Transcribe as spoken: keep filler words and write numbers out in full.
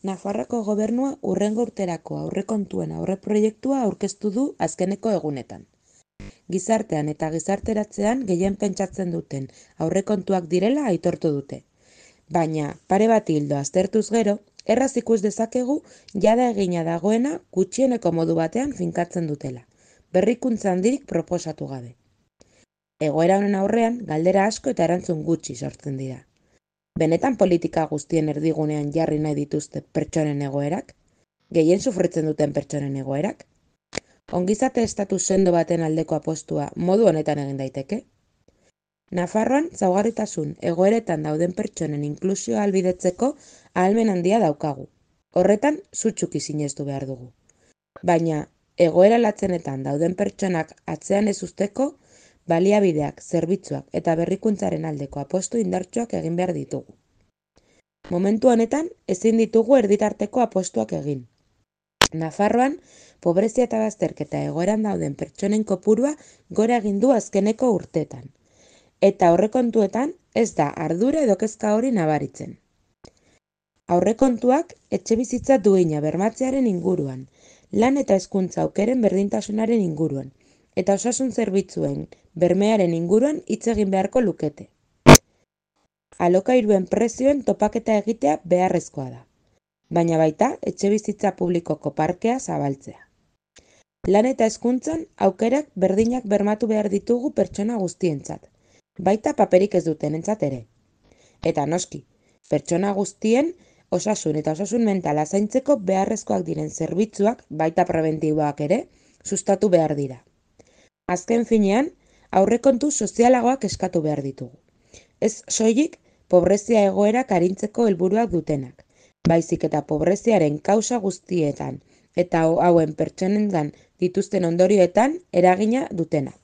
Nafarroako gobernua hurrengo urterako aurrekontuen aurreproiektua aurkeztu du azkeneko egunetan. Gizartean eta gizarteratzean gehien pentsatzen duten aurrekontuak direla aitortu dute. Baina, pare bat hildo aztertuz gero, erraz ikus dezakegu jada egina dagoena gutxieneko modu batean finkatzen dutela, berrikuntza handirik proposatu gabe. Egoera honen aurrean, galdera asko eta erantzun gutxi sortzen dira. Benetan politika guztien erdigunean jarri nahi dituzte pertsonen egoerak? Gehien sufritzen duten pertsonen egoerak? Ongizate estatu sendo baten aldeko apostua modu honetan egin daiteke? Nafarroan zaugarritasun egoeretan dauden pertsonen inklusioa ahalbidetzeko ahalmen handia daukagu. Horretan sutsuki sinestu behar dugu. Baina, egoera latzenetan dauden pertsonak atzean ez usteko, baliabideak, zerbitzuak eta berrikuntzaren aldeko apostu indartsuak egin behar ditugu. Momentu honetan, ezin ditugu erditarteko apostuak egin. Nafarroan, pobrezia eta bazterketa egoeran dauden pertsonen kopurua gora egin du azkeneko urteetan. Eta aurrekontuetan ez da ardura edo kezka hori nabaritzen. Aurrekontuak etxebizitza duina bermatzearen inguruan, lan eta hezkuntza aukeren berdintasunaren inguruan, eta osasun zerbitzuen bermearen inguruan hitz egin beharko lukete. Alokairuen prezioen topaketa egitea beharrezkoa da, baina baita etxebizitza publikoko parkea zabaltzea. Lan eta hezkuntzan aukerak berdinak bermatu behar ditugu pertsona guztientzat, baita paperik ez dutenentzat ere. Eta noski, pertsona guztien osasun eta osasun mentala zaintzeko beharrezkoak diren zerbitzuak, baita prebentiboak ere, sustatu behar dira. Azken finean, aurrekontu sozialagoak eskatu behar ditugu. Ez soilik, pobrezia egoerak arintzeko helburuak dutenak, baizik eta pobreziaren kausa guztietan eta hauen pertsonengan dituzten ondorioetan eragina dutenak.